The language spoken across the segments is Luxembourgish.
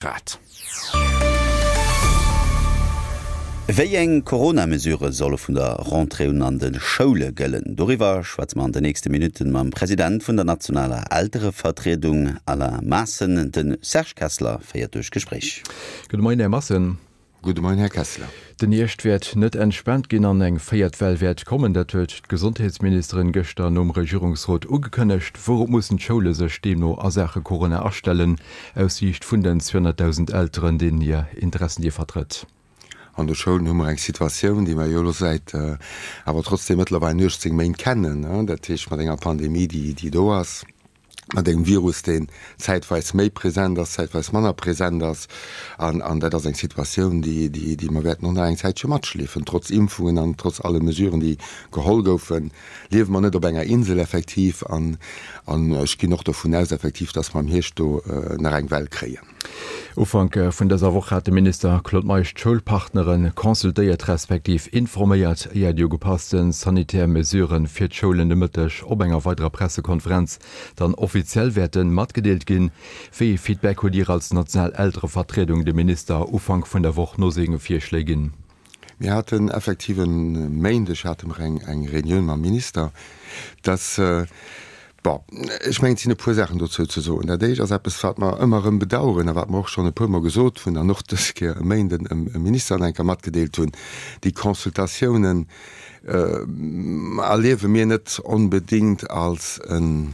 Grad. Wéi eng Corona-Mesurë solle vun der Rentrée un an de Schoule gëllen? Doriwwer schwätze mer an de nächste Minutten mam President vun der nationaler Elterevertriedung, Alain Maassen. De Serge Kessler féiert duerch d'Gespréich. Gudde Moien, Här Maassen. Gudde Moien, Här Kessler. Den Hierscht wäert net entspaant ginn an eng véiert Well wäert kommen. Dat huet d'Gesondheetsministerin gëschter nom Regierungsrot ugekënnegt. Wourop mussen d'Schoule sech deemno a Saache Corona astellen, aus Siicht vun den 200.000 Elteren, deenen hir Interessen Dir vertrëtt? An de Schoulen hu mer eng Situatioun, déi mer jo elo säit awer trotzdeem mëttlerweil 18 Méint kennen, dat heescht mat enger Pandemie, déi do ass. mat engem Virus, deen zäitweis méi present ass, zäitweis manner present ass. An, an dat ass eng Situatioun, déi, déi, déi mer wäerten och nach eng Zäitche matschleefen. Trotz Impfungen an trotz alle Mesuren, déi geholl goufen, liewe mer net op enger Insel effektiv. An, an ech ginn och dovun aus effektiv, dass mer am Hierscht do nach eng Well kréien. Ufank vun dëser Woch hat de Minister Claude Meisch d'Schoulpartnere consultéiert respektiv informéiert, éier déi ugepasste sanitär Mesurë fir d'Schoulen de Mëtteg op enger weiderer Pressekonferenz dann offiziell wäerte matgedeelt ginn. Wéi ee Feedback hutt Dir als national Elterevertriedung dem Minister Ufank vun der Woch no senge Virschléi ginn? Mir haten effektiv e Méindeg hate mer eng Reunioun mam Minister, dass, bon, ech mengen, et sinn e puer Saachen dozou ze soen. Dat éischt ass eppes, wat mer ëmmer erëm bedauern a wat mer och schonn e puermol gesot hunn an och dës Kéier e Méinden em Minister nach eng Kéier matgedeelt hunn, Déi Consultatiounen erliewe mir net onbedéngt als en,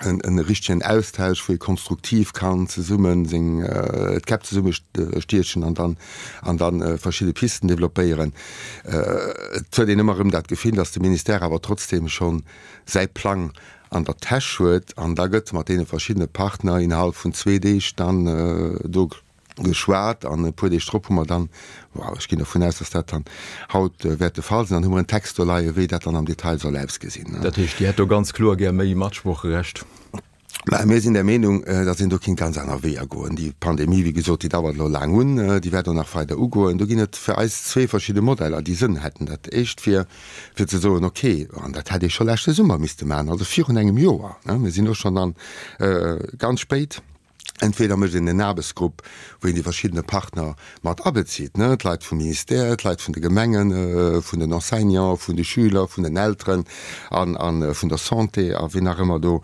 en richtegen Austausch, wou ee konstruktiv kann zesummen seng d'Käpp zesumme stiechen an dann an dann verschidde Pisten développéieren. Et huet een ëmmer erëm dat Gefill, datt de Ministère awer trotzdem schonn säi Plang an der Täsch huet an da gëtt mat deene verschiddene Partner innerhalb vun zwee Deeg dann do geschwat an e puer Deeg drop hu mer dann, wow, ech ginn dervun aus, dass dat dann haut wäert de Fall sinn, dann hu mer en Text do leien, wéi dat dann am Detail soll ausgesinn. Dat heescht, Dir hätt do ganz kloer gär méi Matsproocherecht? Mä mir sinn der Meenung, dass een do kinnt ganz aner Weeër goen. Déi Pandemie, wéi gesot, déi dauert elo laang un, déi wäert och nach weider ugoen. Do ginn et fir eis zwee verschidde Modeller, déi Sënn hätten. Dat éischt wier, fir ze soen, okay, an dat hätt ee scho leschte Summer misste maachen, also virun engem Joer, mir sinn elo schonn dann ganz spéit, Entweder mécht een en Aarbechtsgrupp, wou een déi verschiddene Partner mat abezitt, ne, d'Leit vum Ministère, d'Leit vun de Gemengen, vun den Enseignanten, vun de Schüler, vun den Elteren an a vun der Santé a wien nach ëmmer do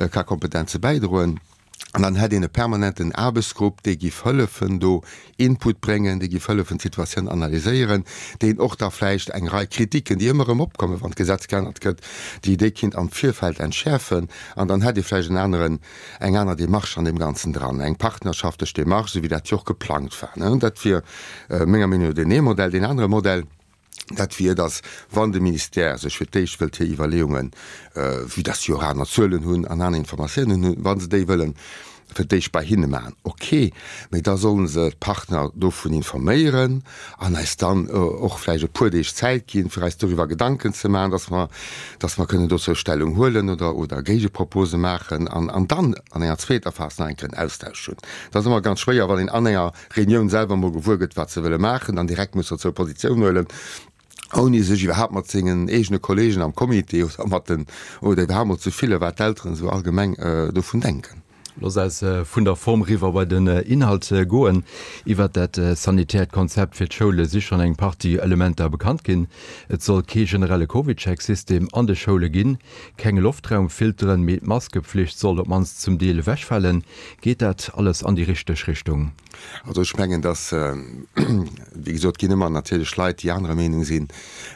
ka Kompetenze bäidroen. An dann hätt een e permanenten Aarbechtsgrupp, dee giff hëllefen do Input bréngen, déi géif hëllefen d'Situatioun analyséieren, deen och da vläicht eng Rei Kritiken, déi ëmmer erëm opkommen, wann d'Gesetz geännert gëtt, déi déi kinnt am Virfeld entschäerfen. An dann hätt ee vläicht en aneren, eng aner Démarche an deem Ganzen dran, eng partnerschaftlech Démarche, esou wéi dat jo och geplangt war. Dat wier menger Meenung no deen ee Modell. Deen anere Modell, Dat wier, datt wann de Ministère sech fir d'éischt wëllt hir Iwwerleeungen, vue datt se jo och aner Zuelen hunn an aner Informatiounen hunn, wa se déi wëllen fir d'éischt bei hinne maachen, ok, mee da solle se d'Partner dovun informéieren an eis dann och vläicht e puer Deeg Zäit ginn, fir eis doriwwer Gedanken ze maachen, datt mer, datt mer kënnen dozou Stellung huelen oder, oder Géigepropose maachen an, an dann an enger zweeter Phas nach eng Kéier en Austausch hunn. Dat ass ëmmer ganz schwéier, wann een an enger Reunioun selwer mol gewuer gëtt, wat se wëlle maachen, dann direkt muss dozou Positioun huelen, ouni sech iwwerhaapt mat sengen eegene Kollegen am Comité oder mat den, oder iwwerhaapt mol ze fillen, wat d'Elteren esou allgemeng dovun denken. Looss eis vun der Form riwwer bei den Inhalt goen. Iwwert dat sanitäert Konzept fir d'Schoule si schonn eng Partie Elementer bekannt ginn. Et soll kee generelle CovidCheck-System an de Schoule ginn, keng Loftraumfilteren, mee d'Maskepflicht soll op d'mannst zum Deel ewechfalen. Geet dat alles an déi richteg Richtung? Also ech mengen, dass, wéi gesot, et ginn ëmmer natierlech Leit, déi anerer Meenung sinn.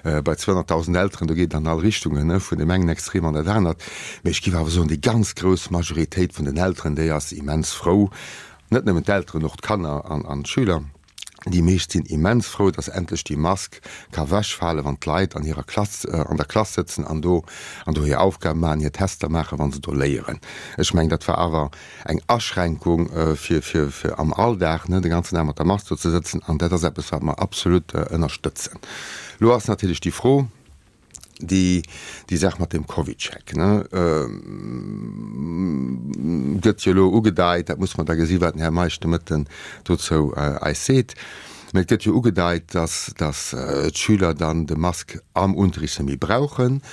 Bei 200.000 Elteren, do geet et an all Richtungen, vun deem engen Extrem an dat anert. Mee ech géif awer soen, déi ganz grouss Majoritéit vun den Elteren, déi ass immens frou, net nëmmen d'Elteren, och d'Kanner an d'Schüler, Déi meescht sinn immens frou, dass endlech déi Mask ka wechfalen, wann d'Leit an hirer Klass, an der Klass sëtzen an do, an do hir Aufgaben maachen, hir Tester maachen, wa se do léieren. Ech mengen, dat war awer eng Aschränkung fir, fir, fir am Alldag, ne, de ganzen Dag mat der Mask do ze sëtzen. An dat ass eppes, wat mer absolut ënnerstëtzen. Elo ass natierlech déi Fro, Déi, déi Saach mat dem CovidCheck, ne, gëtt jo elo ugedeit, dat muss mer da gesi wat den Här Meisch de Mëtten dozou eis seet, mä et gëtt jo ugedeit, dass, dass d'Schüler dann de Mask am Unterricht net méi brauchen,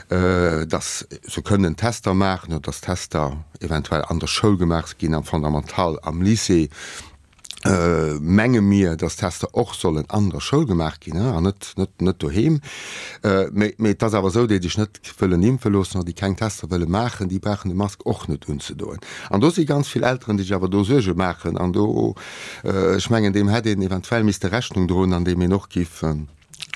dass se kënnen Tester maachen oder dass Tester eventuell an der Schoul gemaach ginn, am Fondamental, am Lycée. Menge mir, dass Tester och sollen an der Schoul gemaach ginn an net, net, net doheem. Mee, mee et ass awer esou, déi sech net wëllen impfe loossen oder déi keng Tester wëlle maachen, déi brauchen de Mask och net unzedoen. An do si ganz vill Elteren, déi sech awer do Suerge maachen. An do, ech mengen, deem hätt een eventuell misste Rechnung droen, andeem een och giff,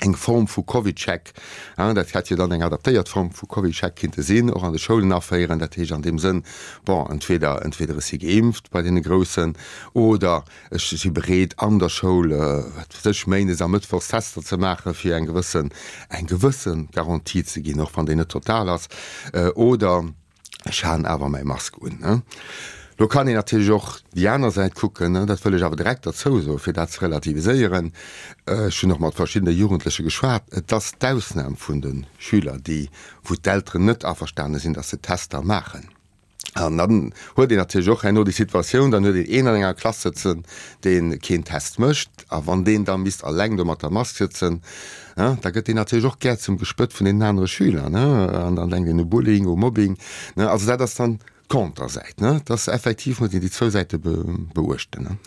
eng Form vu CovidCheck, dat hätt jo dann eng adaptéiert Form vu CovidCheck kinnte sinn, och an de Schoulen aféieren. Dat heescht an deem Sënn, bon, entweder, entweder ech si geimpft bei deene Groussen oder ech si bereet an der Schoul, wat weess ech, méindes a mëttwochs Tester ze maachen, fir eng gewëssen, eng gewësse Garantie ze ginn, och wann déi net total ass, oder, Ech halen awer mäi Mask un. Lo kann een natierlech och déi aner Säit kucken, dat wëll ech awer direkt derzou soen, fir dat ze relativiséieren. Ech hunn och mat verschiddene Jugendleche geschwat. Et ass d'Ausnam vun de Schüler, déi, wou d'Elteren net averstane sinn, datt se Tester maachen. An dann huet een natierlech och herno déi Situatioun, dann huet een een an enger Klass sëtzen, dee keen Test mécht. A wann deen da misst alleng do mat der Mask sëtzen, da gëtt deen natierlech och gär zum Gespött vun deenen anere Schüler, ne, an dann denkt een u Bullying, u Mobbing, ne. Also dat ass dann d'Kontersäit, ne, dass effektiv muss een déi zwou Säite beuechten, ne.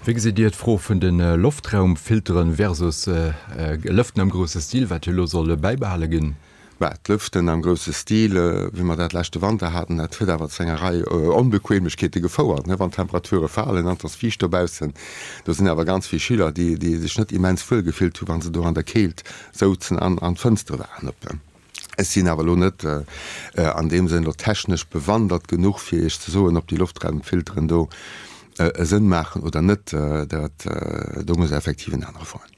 Wéi gesitt Dir d'Fro vun de Loftraumfilteren versus Lëften am grousse Stil, wat jo elo soll bäibehale ginn? Bah, d'Lëften am grousse Stil, wéi mer dat leschte Wanter haten, dat huet awer zu enger Rei Onbequemlechkeete gefouert, ne, wann d'Temperature falen an et ass fiicht dobaussen. Do sinn awer ganz vill Schüler, déi, déi sech net immens wuel gefillt hu wa se do an der Keelt souzen an, an d'Fënstere waren op. Ech sinn awer elo net an deem Sënn elo technesch bewandert genuch, fir Iech ze soen, ob déi Loftraumfilteren do e Sënn maachen oder net. Dat, do muss effektiv en anere froen.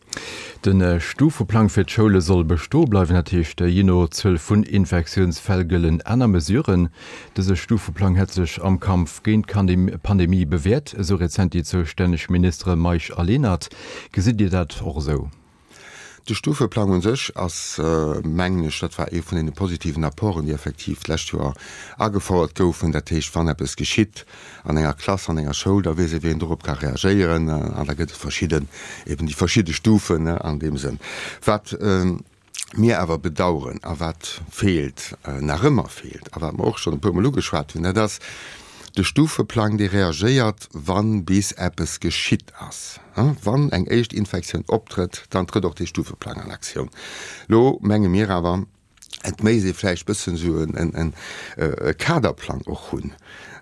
De Stufeplang fir d'Schoule soll bestoe bleiwen, dat heescht jee no Zuel vun Infektiounsfäll gëllen aner Mesuren. Dëse Stufeplang hätt sech am Kampf géint d'Pandemie bewäert, esou rezent déi zoustänneg Ministere Meisch a Lenert. Gesitt Dir dat och esou? De Stufeplang un sech ass, mengen ech, dat war ee vun deene positiven Apporten, déi effektiv d'lescht Joer agefouert goufen. Dat heescht, wann eppes geschitt, an enger Klass, an enger Schoul, da weess ee wéi een dorop ka reagéieren an da gëtt et verschidden, eben déi verschidde Stufen an deem Sënn. Wat mir awer bedauern a wat feelt, nach ëmmer feelt a wat mer och schonn e puermol ugeschwat hunn, dat ass de Stufeplang, dee reagéiert, wa bis eppes geschitt ass. Wann eng éischt Infektioun optrëtt, dann trëtt och dee Stufeplang an Aktioun. Lo menge mir awer, Et méisst ee vläicht bëssen esou e Kaderplang och hunn,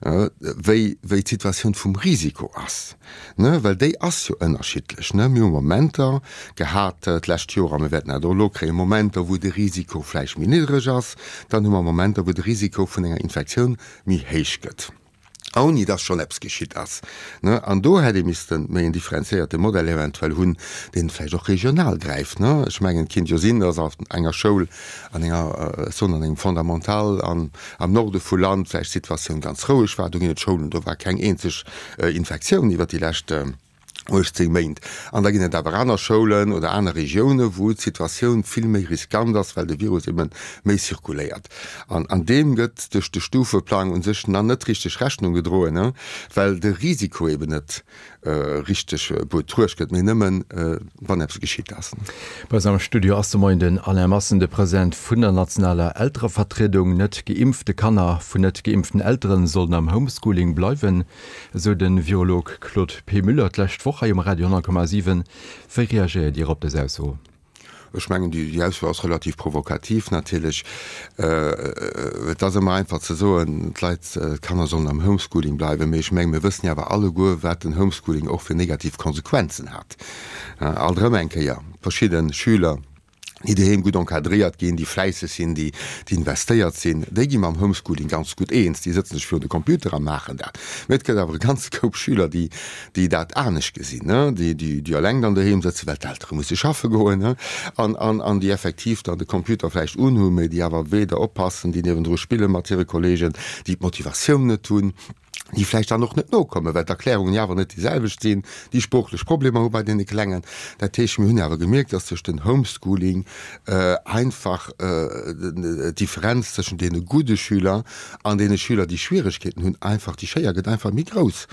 wéi wéi d'Situatioun vum Risiko ass, ne, well déi ass jo ënnerschiddlech, ne. Mir hu Momenter gehat d'lescht Joer a mir wäerten dat och elo kréien, Momenter wou de Risiko vläicht méi niddreg ass, dann hu mer Momenter wou de Risiko vun enger Infektioun méi héich gëtt. Ouni dass schonn eppes geschitt ass. An do hätt ee misste méi en differenziéierte Modell eventuell hunn, deen vläicht och regional gräift. Ech mengen, et kinnt jo sinn, dass an enger Schoul, an enger, ech soen, an engem Fondamental am Norde vu Land vläicht d'Situatioun ganz roueg war. Do ginn et Schoulen, do war keng eenzeg Infektioun iwwert déi lescht 18 Méint. An da ginn et awer aner Schoulen oder aner Regiounen, wou d'Situatioun vill méi riskant ass, well de Virus ebe méi zirkuléiert. An an deem gëtt duerch de Stufeplang u sech nach net richteg Rechnung gedroen, well de Risiko eben net richteg betruecht gëtt, mee nëmmen, wann eppes geschitt ass. Bei eis am Studio ass de Moien den Alain Massen, de President vun der nationaler Elterevertriedung. Net geimpfte Kanner vun net geimpften Elteren sollen am Homeschooling bleiwen. Esou de Virolog Claude P. Müller d'lescht Woch hei um Radio 10,7. Wéi reagéiert Dir op dës Ausso? Ech mengen, déi Ausso ass relativ provokativ natierlech. Et ass ëmmer einfach ze soen, d'Leit, d'Kanner sollen am Homeschooling bleiwen. Mee ech mengen, mir wëssen jo awer alleguer, wat den Homeschooling och fir negativ Konsequenzen hat. Alt erëm eng Kéier, verschidde Schüler, déi doheem gutt encadréiert ginn, déi fläisseg sinn, déi investéiert sinn, déi gi mam Homeschooling ganz gutt eens, déi sëtzen sech virun de Computer a maachen dat. Mee et gëtt awer e ganze Koup Schüler, déi, déi dat anescht gesinn, déi, déi, déi eleng dann doheem sëtzen, well d'Eltere musse schaffe goen, an, an, an déi effektiv dann de Computer vläicht unhunn, mee déi awer weder oppassen, déi niewendru spille mat hire Kolleegen, déi d'Motivatioun net hunn. déi vläicht dann och net nokommen, well d'Erklärungen jo awer net déi selwecht sinn, déi sproochlech Problemer hu bei deene Klengen. Dat heescht, mir hunn awer gemierkt, dass duerch den Homeschooling einfach d'Differenz tëschent deene gudde Schüler an deene Schüler, déi Schwieregkeeten hunn, einfach, déi Schéier gëtt einfach méi grouss.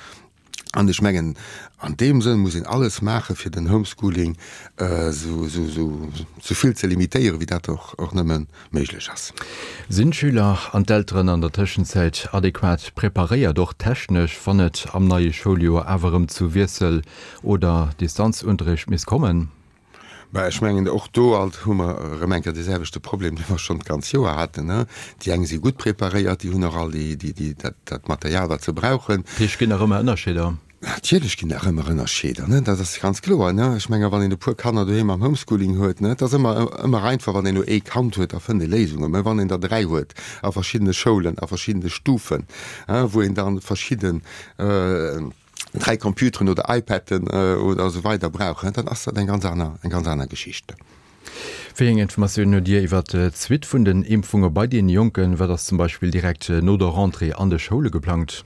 An ech mengen, an deem Sënn muss een alles maachen, fir den Homeschooling esou vill ze limitéieren, wéi dat och nëmme méiglech ass. Sinn d'Schüler an d'Elteren an der Tëschenzäit adequat preparéiert, och technesch, wann et am neie Schouljoer awer erëm zu Wiessel oder Distanzunterricht misst kommen? Mä ech mengen, och do alt hu mer erëm eng Kéier dee selwechte Problem, dee mer schonn d'ganz Joer haten. Déi eng si gutt preparéiert, déi hunn och all déi, déi, dat, dat Material, wat se brauchen. Dat heescht, et ginn nach ëmmer Ënnerscheeder? Natierlech ginn nach ëmmer Ënnerscheeder, ne, dat ass ganz kloer, ne. Ech menge wann een e puer Kanner doheem am Homeschooling huet, ne, et ass ëmmer, ëmmer einfach, wann een elo ee Kand huet, da fënnt ee Léisungen. Mä wann een der 3 huet a verschiddene Schoulen, a verschiddene Stufen, wou een dann verschidden, 3 Computeren oder iPaden oder esou weider brauchen, dann ass dat eng ganz aner, eng ganz aner Geschicht. Wéi eng Informatiounen hutt Dir iwwer d'Suite vun den Impfunge bei den Jonken? Wat ass zum Beispill direkt no der Rentrée an de Schoule geplangt?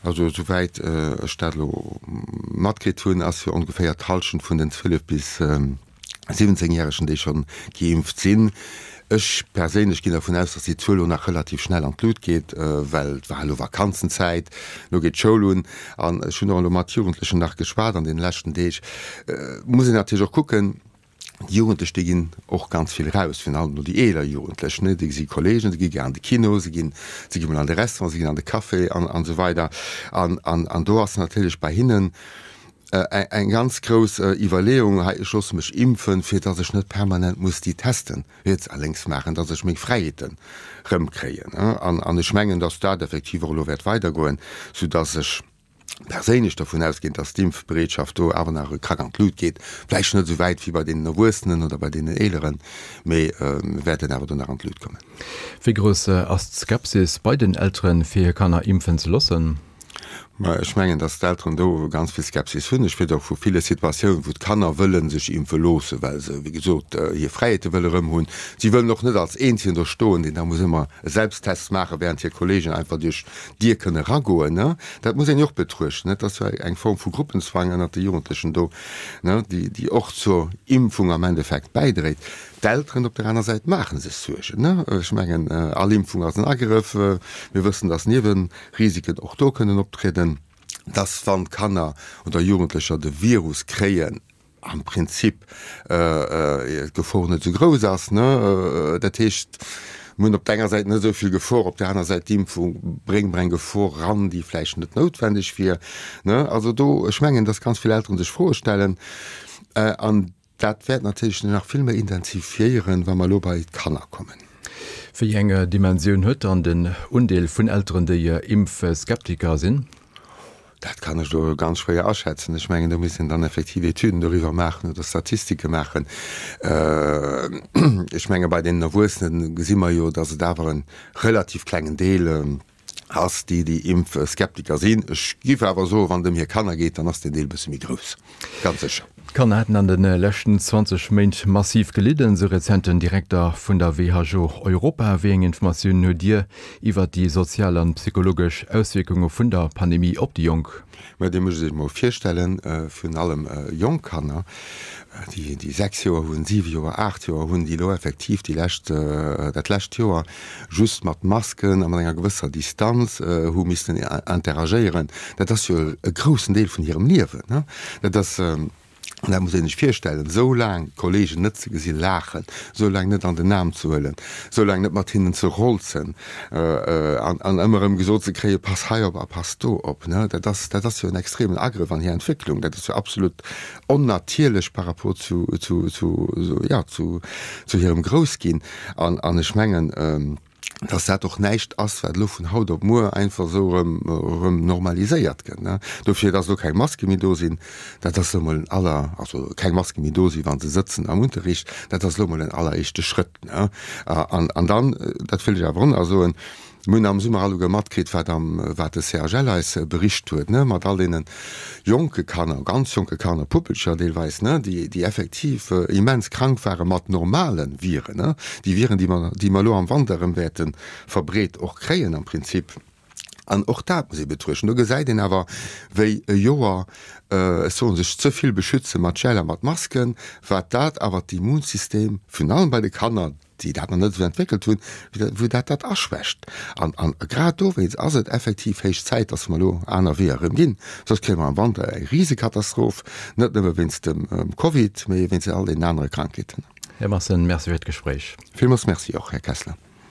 Also esouwäit ech dat elo matkritt hunn, ass jo ongeféier d'Hallschent vun den 12 bis 17 Järegen, déi scho geimpft sinn. Ech perséinlech ginn dervun aus, datt déi Zuel elo nach relativ schnell an d'Lut geet, well et war elo Vakanzenzäit, elo geet d'Schoul un. An ech hunn och elo mat Jugendlechen nach geschwat an deene leschten Deeg. Et muss een natierlech och kucken, déi Jugendlech, déi ginn och ganz vill eraus, virun allem elo déi eeler Jugendlech, ne, déi gesi Kolleegen, se gi gär an de Kino, se ginn, se gi mol an de Restaurant, se ginn an de Café an esou weider. An, an, an do ass natierlech bei hinnen, Eng ganz grouss Iwwerleeung hei, ech loosse mech impfen, fir datt ech net permanent muss déi Testen riets a lénks maachen, datt ech meng Fräiheeten erëmkréien. An ech mengen, datt dat effektiv och elo wäert weidergoen, soudatt ech perséinlech dervun ausginn, datt d'Impfbereetschaft do awer nach e Krack an d'Lut geet. Vläicht net esou wäit wéi bei deenen Erwuessenen oder bei deenen Eeleren, mee mir wäerten awer do nach an d'Lut kommen. Wéi grouss ass d'Skepsis bei den Elteren, fir hir Kanner impfen ze loossen? Mä ech mengen, datt d'Elteren do ganz vill Skepsis hunn. Ech weess och vu ville Situatiounen, wou d'Kanner wëlle sech impfe loossen, well se, wéi gesot, hir Fräiheete wëlle erëm hunn. Si wëllen och net als Eenzegen do stoen, deen da muss ëmmer e Selbsttest maachen, während hir Kolleegen einfach duerch d'Dier kënne eragoen. Dat muss een jo och betruechten. Et ass jo eng Form vu Gruppenzwang ënnert de Jugendlechen do, déi och zur Impfung am Endeffekt bäidréit. D'Elteren op der aner Säit maache sech Suergen. Ech mengen, all Impfung ass en Agrëff. Mir wëssen, datt Niewen Risiken och do kënnen optrieden, dass wann Kanner oder Jugendlecher de Virus kréien, am Prinzip d'Gefor net esou grouss ass. Dat heescht, mir hunn op der enger Säit net esou vill Gefor, op der aner Säit d'Impfung bréngt mer eng Gefor eran, déi vläicht net noutwendeg wier. Also do, ech mengen, dass ganz vill Elteren sech Froe stellen an Dat wäert natierlech nach vill méi intensifiéieren, wa mer elo bei d'Kanner kommen. Wéi eng Dimensioun huet dann den Undeel vun Elteren, déi Impfskeptiker sinn? Dat kann ech elo ganz schwéier aschätzen. Ech mengen, do misst een dann effektiv Etüden doriwwer maachen oder Statistike maachen. Ech menge bei deenen Erwuessene gesi mer jo, datt et awer e relativ klengen Deel ass, déi déi Impfskeptiker sinn. Ech giff awer soen, wann et ëm hir Kanner geet, dann ass deen Deel e bësse méi grouss, ganz sécher. D'Kanner hätten an de leschten 20 Méint massiv gelidden, sou rezent den Direkter vun der WHO Europa. Wéi eng Informatiounen hutt Dir iwwert déi sozial an psychologesch Auswierkunge vun der Pandemie op déi Jonk? Mä Dir musst Iech emol virstellen, virun allem jonk Kanner, déi déi 6 Joer hunn, 7 Joer, 8 Joer hunn, déi elo effektiv déi lescht, dat lescht Joer just mat Masken a mat enger gewësser Distanz hu missten interagéieren. Dat ass jo e groussen Deel vun hirem Liewen. Dat ass. An dat muss een sech virstellen, esou laang d'Kollegen net ze gesi laachen, esou laang net an den Aarm ze huelen, esou laang net mat hinnen ze rolzen an an ëmmer erëm gesot ze kréien, pass hei op a pass do op, ne, dat ass, dat ass jo en extremen Agrëff an hir Entwécklung. Dat ass jo absolut onnatierlech par rapport zu, zu, zu, jo, zu, zu hirem Groussginn. An, an ech mengen, dass dat och näischt ass, wat elo vun haut op muer einfach esou erëm, erëm normaliséiert gëtt, ne. Dofir, dass elo keng Maske méi do sinn, dat ass elo mol en aller, also keng Maske méi do sinn, wa se sëtzen am Unterricht, dat ass elo mol en alleréischte Schrëtt, ne. An, an dann, dat wëll ech awer och nach soen, Mir hunn am Summer alleguer matkritt, wat am, wat de CHL eis bericht huet, ne, mat all deene jonke Kanner, ganz jonke Kanner, Puppelcher deelweis, ne, déi, déi effektiv immens krank ware mat normale Viren, ne, déi Viren, déi mer, déi mer elo am Wanter erëm wäerte verbreet och kréien am Prinzip. An och dat muss ee betruechten. Do gesäit een awer, wéi e Joer, ech soen, sech ze vill beschütze mat Gel a mat Masken, wat dat awer d'Immunsystem, virun allem bei de Kanner, déi dat nach net esou entwéckelt hunn, wéi dat dat aschwächt. An grad dowéinst ass et effektiv héich Zäit, dass mer elo aner Weeër erëm ginn. Soss kréie mer am Wanter eng Risekatastroph, net nëmme wéinst dem Covid, mee wéinst all deenen anere Krankheeten. Här Maassen, Merci fir d'Gespréich. Villmools Merci och, Här Kessler.